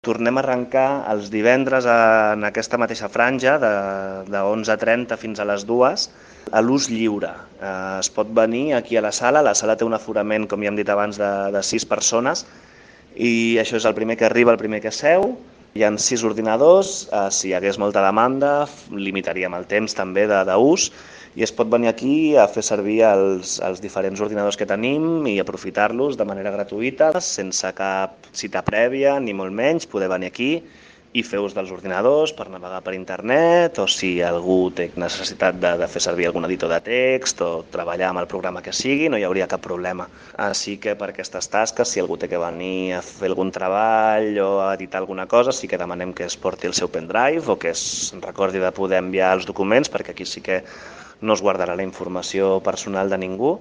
Tornem a arrencar els divendres en aquesta mateixa franja, de 11:30 fins a les 2, a l'ús lliure. Es pot venir aquí a la sala té un aforament, com ja hem dit abans, de 6 persones, i això és el primer que arriba, el primer que seu. Hi ha 6 ordinadors, si hi hagués molta demanda, limitaríem el temps també d'ús, i es pot venir aquí a fer servir els diferents ordinadors que tenim i aprofitar-los de manera gratuïta, sense cap cita prèvia, ni molt menys, poder venir aquí i fer ús dels ordinadors per navegar per internet, o si algú té necessitat de fer servir algun editor de text o treballar amb el programa que sigui, no hi hauria cap problema. Així que per aquestes tasques, si algú té que venir a fer algun treball o a editar alguna cosa, sí que demanem que es porti el seu pendrive o que es recordi de poder enviar els documents, perquè aquí sí que no es guardarà la informació personal de ningú.